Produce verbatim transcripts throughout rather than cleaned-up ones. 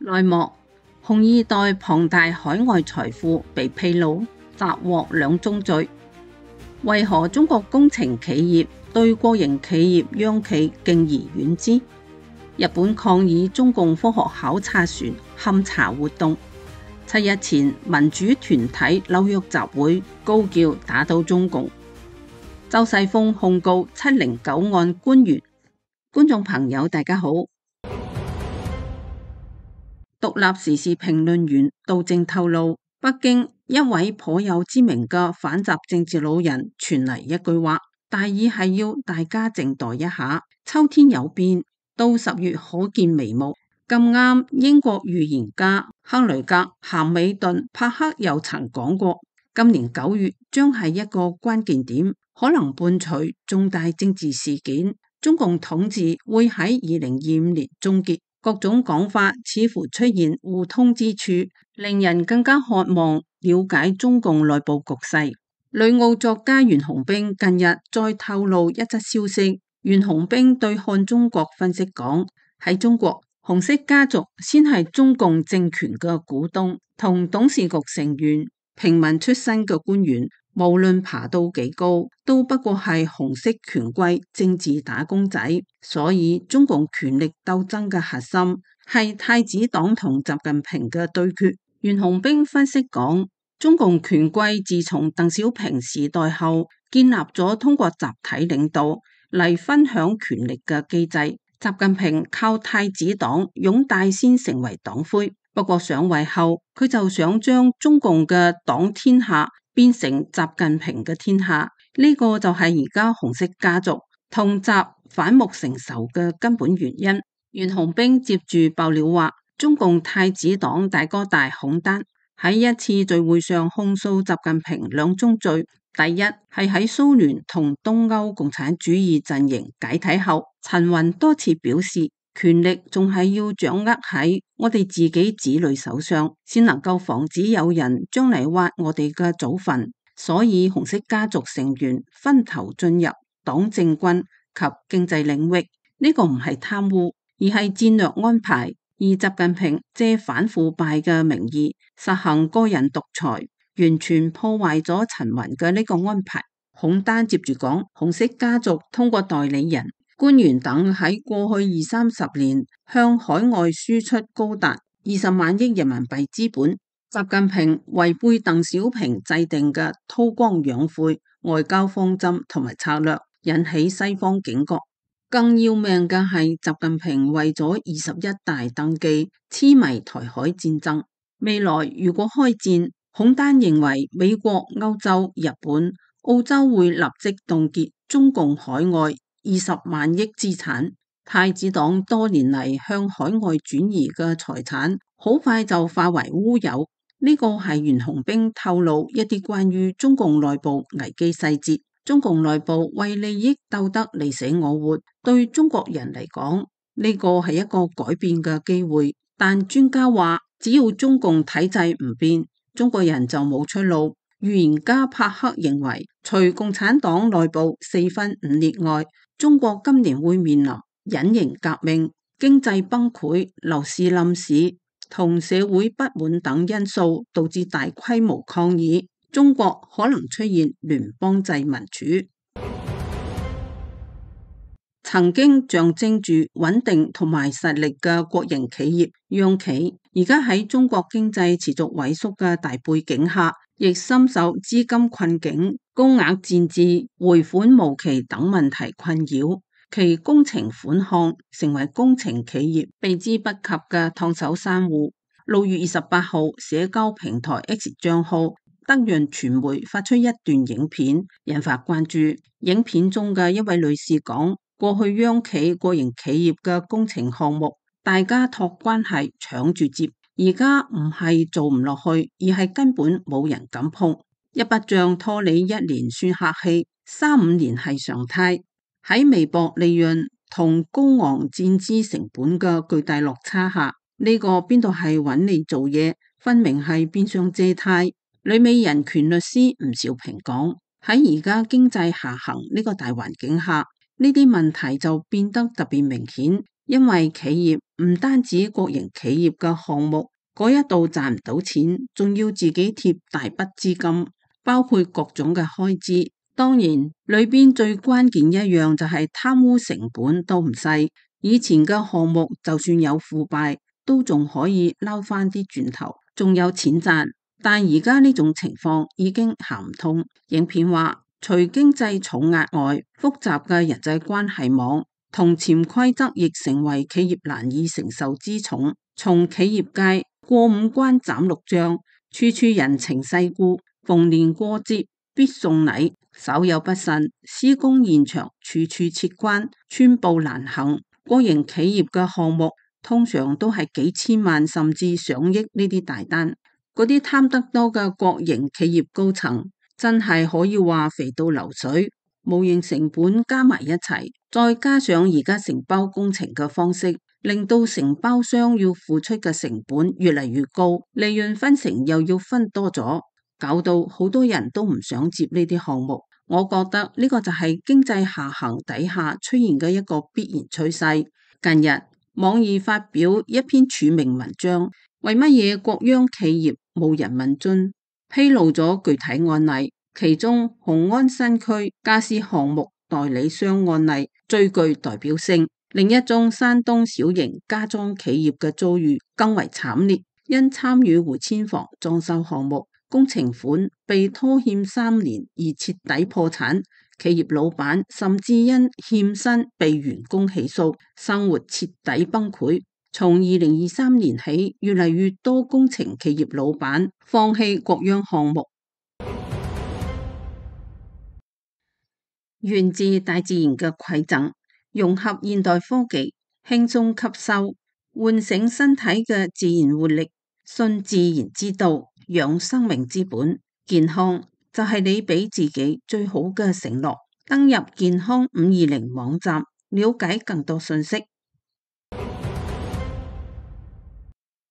內幕：紅二代龐大海外財富被披露，斬獲兩宗罪。為何中國工程企業對國營企業央企敬而遠之？日本抗議中共科學考察船勘查活動。七日前，民主團體紐約集會高叫打倒中共。周世峰控告七零九案官員。觀眾朋友大家好。獨立時事評論員杜正透露，北京一位頗有知名嘅反習政治老人傳嚟一句話，大意係要大家靜待一下，秋天有變，到十月可見眉目。咁啱英國預言家克雷格、咸美頓、帕克又曾講過，今年九月將係一個關鍵點，可能伴隨重大政治事件，中共統治會喺二零二五年終結。各種講法似乎出現互通之處，令人更加渴望了解中共內部局勢。旅澳作家袁弘彬近日再透露一則消息，袁弘彬對看中國分析講，喺中國，紅色家族先係中共政權嘅股東同董事局成員，平民出身嘅官員無論爬到幾高，都不過係紅色權貴政治打工仔。所以中共權力鬥爭嘅核心係太子黨同習近平嘅對決。袁弘彬分析講，中共權貴自從鄧小平時代後，建立咗通過集體領導嚟分享權力嘅機制。習近平靠太子黨擁戴先成為黨魁，不過上位後，佢就想將中共嘅黨天下變成習近平嘅天下，呢、這個就係而家紅色家族同習反目成仇嘅根本原因。袁弘彬接住爆料話，中共太子黨大哥大孔丹喺一次聚會上控訴習近平兩宗罪。第一係喺蘇聯同東歐共產主義陣營解體後，陳雲多次表示，權力仲係要掌握喺我哋自己子女手上，先能夠防止有人將嚟挖我哋嘅祖墳。所以紅色家族成員分頭進入黨政軍及經濟領域，呢、這個唔係貪污，而係戰略安排。而習近平借反腐敗嘅名義實行個人獨裁，完全破壞咗陳雲嘅呢個安排。孔丹接住講，紅色家族通過代理人、官員等喺過去二三十年向海外輸出高達二十萬億人民幣資本。習近平違背鄧小平制定嘅韜光養晦外交方針同埋策略，引起西方警覺。更要命嘅係，習近平為咗二十一大登記，痴迷台海戰爭。未來如果開戰，孔丹認為美國、歐洲、日本、澳洲會立即凍結中共海外二十萬億資產。太子黨多年嚟向海外轉移嘅財產，好快就化為烏有。呢個係袁弘彬透露一啲關於中共內部危機細節。中共內部為利益鬥得你死我活，對中國人嚟講，呢個係一個改變嘅機會。但專家話，只要中共體制唔變，中國人就冇出路。預言家帕克認為，除共產黨內部四分五裂外，中國今年會面臨隱形革命、經濟崩潰、樓市冧市同社會不滿等因素，導致大規模抗議。中國可能出現聯邦制民主。曾經象徵住穩定同埋實力嘅國營企業央企，而家喺中國經濟持續萎縮嘅大背景下，亦深受資金困境、高額戰資、回款無期等問題困擾，其工程款項成為工程企業避之不及嘅燙手山芋。六月二十八號，社交平台 X 賬號德潤傳媒發出一段影片，引發關注。影片中嘅一位女士講，過去央企、國營企業嘅工程項目，大家託關係搶住接，而家唔係做唔落去，而係根本冇人敢碰。一筆賬拖你一年算客氣，三五年係常態。喺微薄利潤同高昂戰資成本嘅巨大落差下，呢個邊度係揾你做嘢，分明係變相借貸。旅美人權律師吳兆平講，喺而家經濟下行呢個大環境下，呢啲問題就變得特別明顯，因為企業唔單止國營企業嘅項目嗰一度賺唔到錢，仲要自己貼大筆資金，包括各種嘅開支。當然裏邊最關鍵一樣就係貪污成本都唔細，以前嘅項目就算有腐敗，都仲可以撈翻啲轉頭，仲有錢賺。但而家呢種情況已經行唔通。影片話，除經濟重壓外，複雜嘅人際關係網同潛規則亦成為企業難以承受之重。從企業界過五關斬六將，處處人情世故，逢年過節必送禮，稍有不慎，施工現場處處設關，寸步難行。國營企業嘅項目通常都係幾千萬甚至上億呢啲大單，嗰啲貪得多嘅國營企業高層真係可以話肥到流水，無形成本加埋一齊，再加上而家承包工程嘅方式，令到承包商要付出嘅成本越嚟越高，利潤分成又要分多咗，搞到好多人都唔想接呢啲項目。我覺得呢個就係經濟下行底下出現嘅一個必然趨勢。近日網易發表一篇署名文章，為乜嘢國央企業冇人民津，披露咗具體案例，其中雄安新區家私項目代理商案例最具代表性。另一宗山東小型家裝企業嘅遭遇更為慘烈，因參與回遷房裝修項目，工程款被拖欠三年而徹底破產，企業老闆甚至因欠薪被員工起訴，生活徹底崩潰。從二零二三年起，越嚟越多工程企業老闆放棄國央項目。源自大自然嘅饋贈，融合現代科技，輕鬆吸收，喚醒身體嘅自然活力，信自然之道，養生命之本。健康就係你俾自己最好嘅承諾。登入健康五二零網站，了解更多信息。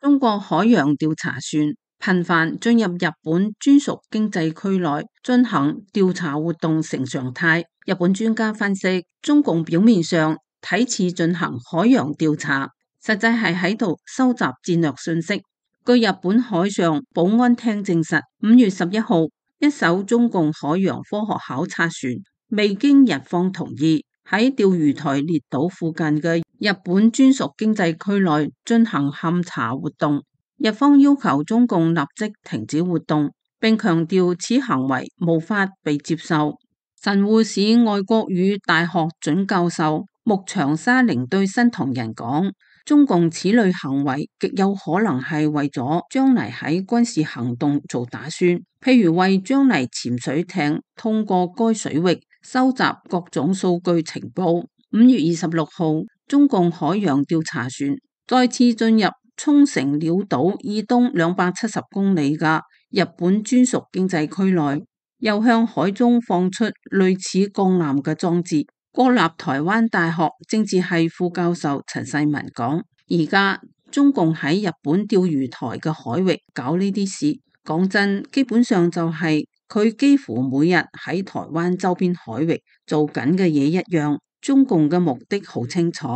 中國海洋調查船頻繁進入日本專屬經濟區內進行調查活動成常態。日本專家分析，中共表面上睇似進行海洋調查，實際係喺度收集戰略信息。據日本海上保安廳證實，五月十一號，一艘中共海洋科學考察船未經日方同意，喺釣魚台列島附近嘅日本專屬經濟區內進行勘查活動。日方要求中共立即停止活動，並強調此行為無法被接受。神戶市外國語大學准教授木長沙翎對新唐人講，中共此類行為極有可能係為咗將來喺軍事行動做打算，譬如為將來潛水艇通過該水域收集各種數據情報。五月二十六號，中共海洋調查船再次進入沖繩鳥島以東兩百七十公里嘅日本專屬經濟區內，又向海中放出類似鋼纜嘅裝置。國立台灣大學政治系副教授陳世文講，而家中共喺日本釣魚台嘅海域搞呢啲事，講真，基本上就係佢幾乎每日喺台灣周邊海域做緊嘅嘢一樣。中共嘅目的好清楚，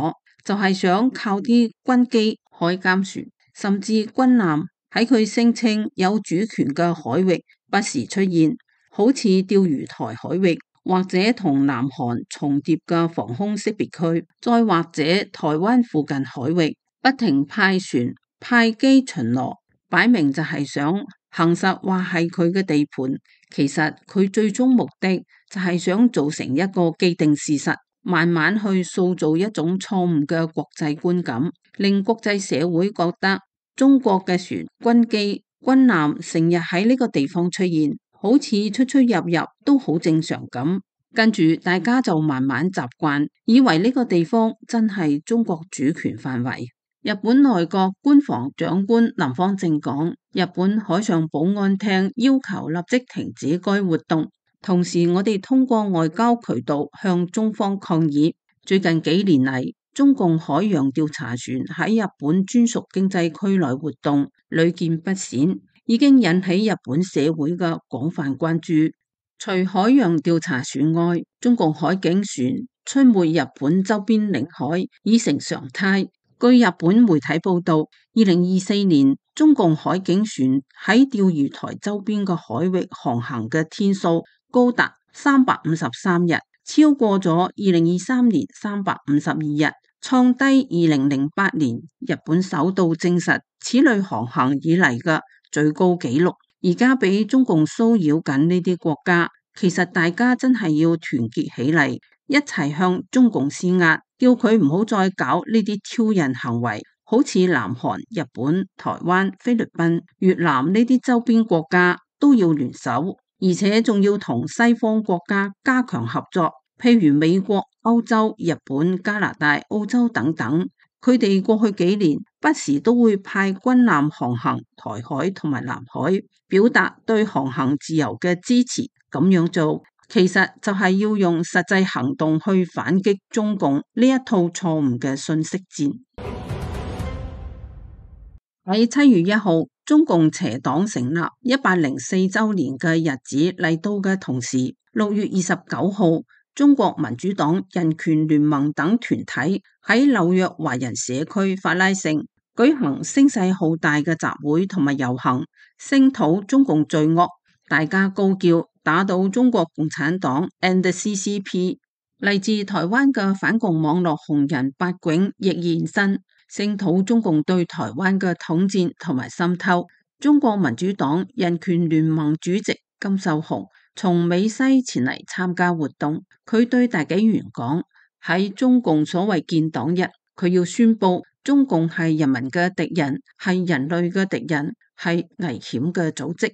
就係想靠啲軍機、海監船甚至軍艦喺佢聲稱有主權嘅海域不時出現，好似釣魚台海域，或者同南韓重疊嘅防空識別區，再或者台灣附近海域不停派船派機巡邏，擺明就係想行實話係佢嘅地盤。其實佢最終目的就係想造成一個既定事實，慢慢去塑造一種錯誤嘅國際觀感，令國際社會覺得中國嘅船、軍機、軍艦成日喺呢個地方出現，好似出出入入都好正常咁。跟住大家就慢慢習慣，以為呢個地方真係中國主權範圍。日本內閣官房長官林芳正講，日本海上保安廳要求立即停止該活動。同時，我哋通過外交渠道向中方抗議。最近幾年嚟，中共海洋調查船喺日本專屬經濟區內活動屢見不鮮，已經引起日本社會嘅廣泛關注。除海洋調查船外，中共海警船出沒日本周邊領海已成常態。據日本媒體報道，二零二四年中共海警船喺釣魚台周邊嘅海域航行嘅天數高達三百五十三日，超過咗二零二三年三百五十二日，創低二零零八年日本首度證實此類航行以嚟嘅最高紀錄。而家俾中共騷擾緊呢啲國家，其實大家真係要團結起嚟，一齊向中共施壓，叫佢唔好再搞呢啲挑釁行為。好似南韓、日本、台灣、菲律賓、越南呢啲周邊國家都要聯手，而且仲要同西方國家加強合作，譬如美國、歐洲、日本、加拿大、澳洲等等。佢哋過去幾年不時都會派軍艦航行台海同埋南海，表達對航行自由嘅支持。咁樣做其實就係要用實際行動去反擊中共呢一套錯誤嘅信息戰。喺七月一號，中共邪黨成立一百零四週年嘅日子嚟到嘅同時，六月二十九號，中國民主黨、人權聯盟等團體喺紐約華人社區法拉盛舉行聲勢浩大嘅集會同埋遊行，聲討中共罪惡，大家高叫打倒中國共產黨 and C C P。 嚟自台灣嘅反共網絡紅人八囧亦現身，聲討中共對台灣嘅統戰同埋滲透。中國民主黨人權聯盟主席金秀雄從美西前嚟參加活動，佢對大紀元講，喺中共所謂建黨日，佢要宣布中共係人民嘅敵人，係人類嘅敵人，係危險嘅組織。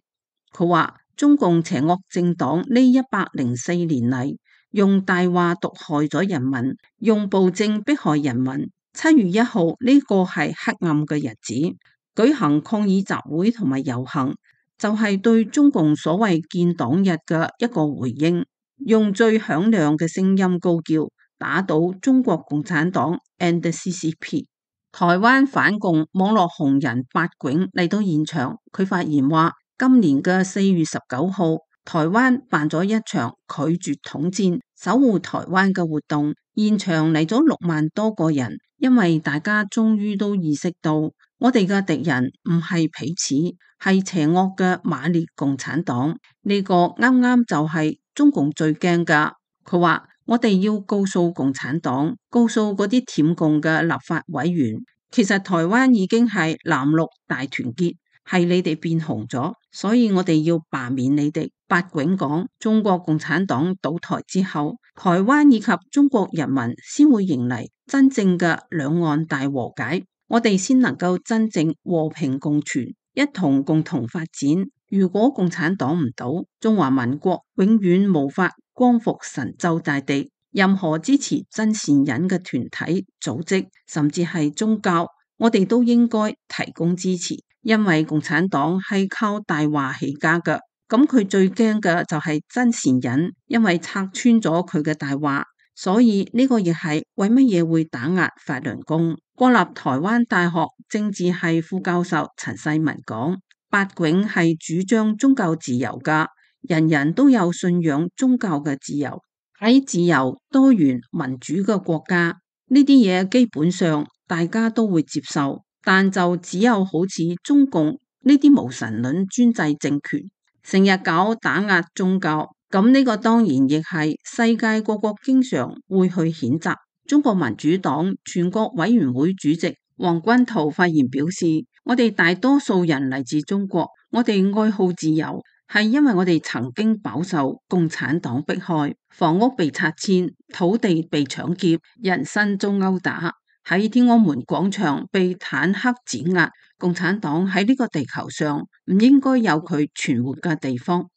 佢話中共邪惡政黨呢一百零四年嚟，用大話毒害咗人民，用暴政迫害人民。七月一號呢個係黑暗嘅日子，舉行抗議集會同埋遊行，就係對中共所謂建黨日嘅一個回應，用最響亮嘅聲音高叫打倒中國共產黨 and C C P。 台灣反共網絡紅人八囧嚟到現場，佢發言話，今年嘅四月十九號，台灣辦咗一場拒絕統戰、守護台灣嘅活動，現場嚟咗六萬多個人，因為大家終於都意識到，我哋嘅敵人唔係彼此，係邪惡嘅馬列共產黨。呢個啱啱就係中共最驚噶。佢話我哋要告訴共產黨，告訴嗰啲舔共嘅立法委員，其實台灣已經係藍綠大團結，係你哋變紅咗，所以我哋要罷免你哋。八囧講，中國共產黨倒台之後，台灣以及中國人民先會迎嚟真正嘅兩岸大和解，我哋先能夠真正和平共存，一同共同發展。如果共產黨唔倒，中華民國永遠無法光復神州大地。任何支持真善忍嘅團體、組織，甚至係宗教，我哋都應該提供支持，因為共產黨係靠大話起家嘅。咁佢最驚嘅就係真善忍，因為拆穿咗佢嘅大話，所以呢個亦係為乜嘢會打壓法輪功。國立台灣大學政治系副教授陳世文講，八囧係主張宗教自由噶，人人都有信仰宗教嘅自由。喺自由、多元、民主嘅國家，呢啲嘢基本上大家都會接受，但就只有好似中共呢啲無神論專制政權，成日搞打壓宗教，咁呢個當然亦係世界各國經常會去譴責。中國民主黨全國委員會主席黃君濤發言表示，我哋大多數人嚟自中國，我哋愛好自由，係因為我哋曾經飽受共產黨迫害，房屋被拆遷，土地被搶劫，人身遭毆打，喺天安門廣場被坦克碾壓。共產黨喺呢個地球上唔應該有佢存活嘅地方。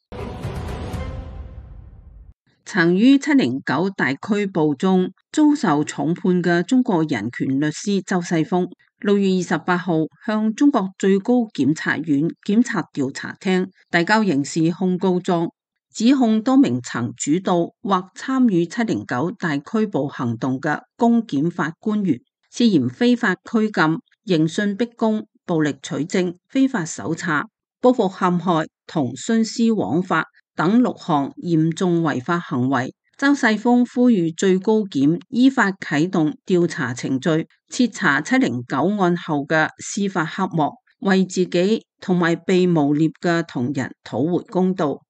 曾於七零九大拘捕中遭受重判嘅中國人權律師周世峰，六月二十八號向中國最高檢察院檢察調查廳遞交刑事控告狀，指控多名曾主導或參與七零九大拘捕行動嘅公檢法官員，涉嫌非法拘禁、刑訊逼供、暴力取證、非法搜查、報復陷害同徇私枉法等六項嚴重違法行為，周世峰呼籲最高檢依法啟動調查程序，徹查七零九案後嘅司法黑幕，為自己同埋被誣衊嘅同仁討回公道。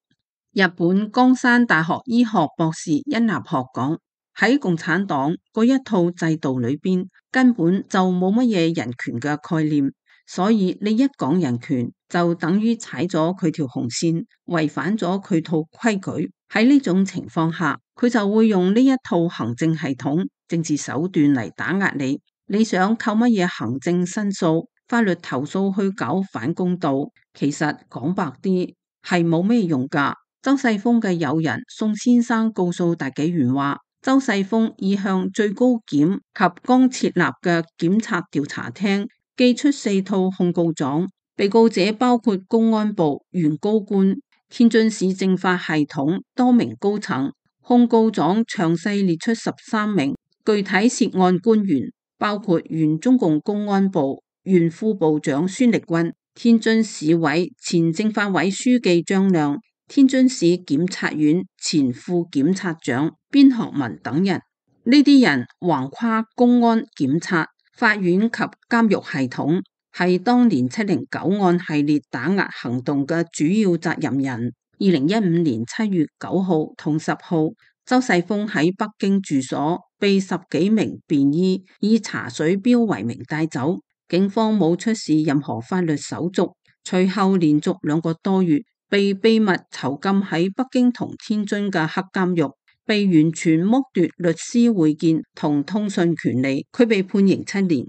日本江山大學醫學博士殷立學講，喺共產黨嗰一套制度裏邊，根本就冇乜嘢人權嘅概念，所以你一講人權，就等於踩咗佢條紅線，違反咗佢套規矩。喺呢種情況下，佢就會用呢一套行政系統、政治手段嚟打壓你。你想靠乜嘢行政申訴、法律投訴去搞反公道？其實講白啲係冇咩用噶。周世峰嘅友人宋先生告訴大紀元話，周世峰已向最高檢及剛設立嘅檢察調查廳寄出四套控告狀，被告者包括公安部原高官、天津市政法系統多名高層。控告狀詳細列出十三名具體涉案官員，包括原中共公安部原副部長孫力軍、天津市委前政法委書記張亮、天津市檢察院前副檢察長邊學文等人。呢啲人橫跨公安、檢察、法院及監獄系統，係當年七零九案系列打壓行動嘅主要責任人。二零一五年七月九號同十號，周世峰喺北京住所被十幾名便衣以查水表為名帶走，警方冇出示任何法律手續。隨後連續兩個多月被秘密囚禁喺北京同天津嘅黑監獄，被完全剝奪律師會見同通訊權利。佢被判刑七年。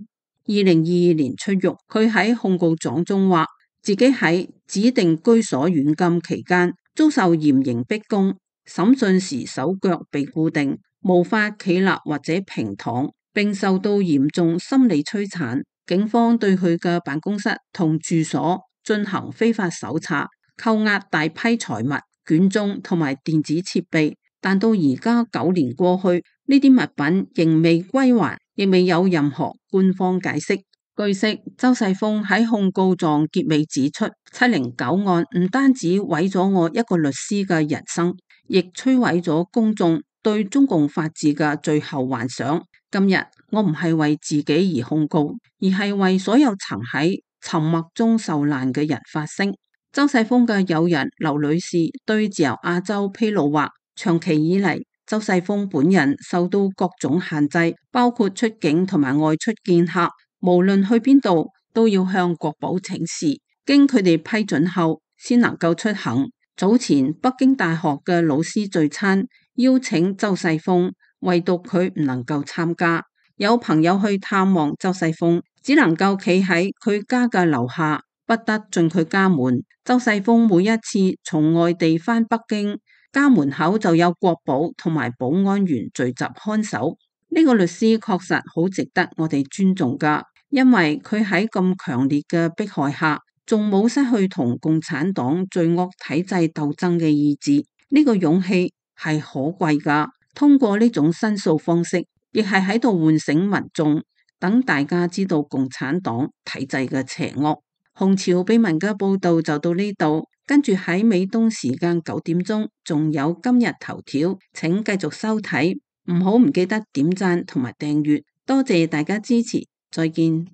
二零二二年出獄，佢喺控告狀中話自己喺指定居所軟禁期間遭受嚴刑逼供，審訊時手腳被固定，無法企立或者平躺，並受到嚴重心理摧殘。警方對佢嘅辦公室同住所進行非法搜查，扣押大批財物、卷宗同埋電子設備，但到而家九年過去，呢啲物品仍未歸還，亦未有任何官方解釋。據悉，周世峰喺控告狀結尾指出，七零九案唔單止毀咗我一個律師嘅人生，亦摧毀咗公眾對中共法治嘅最後幻想。今日我唔係為自己而控告，而係為所有曾喺沉默中受難嘅人發聲。周世峰嘅友人劉女士對自由亞洲披露話，長期以嚟，周世峰本人受到各種限制，包括出境同埋外出見客。無論去邊度都要向國保請示，經佢哋批准後先能夠出行。早前北京大學嘅老師聚餐邀請周世峰，唯獨佢唔能夠參加。有朋友去探望周世峰，只能夠企喺佢家嘅樓下，不得進佢家門。周世峰每一次從外地返北京，家門口就有國保同埋保安員聚集看守。呢個律師確實好值得我哋尊重㗎，因為佢喺咁強烈嘅迫害下，仲冇失去同共產黨罪惡體制鬥爭嘅意志。呢個勇氣係可貴㗎。通過呢種申訴方式，亦係喺度喚醒民眾，等大家知道共產黨體制嘅邪惡。紅潮秘聞嘅報道就到呢度，跟住喺美東時間九點鐘，仲有今日頭條，請繼續收睇。唔好唔記得點讚同埋訂閱，多謝大家支持，再見。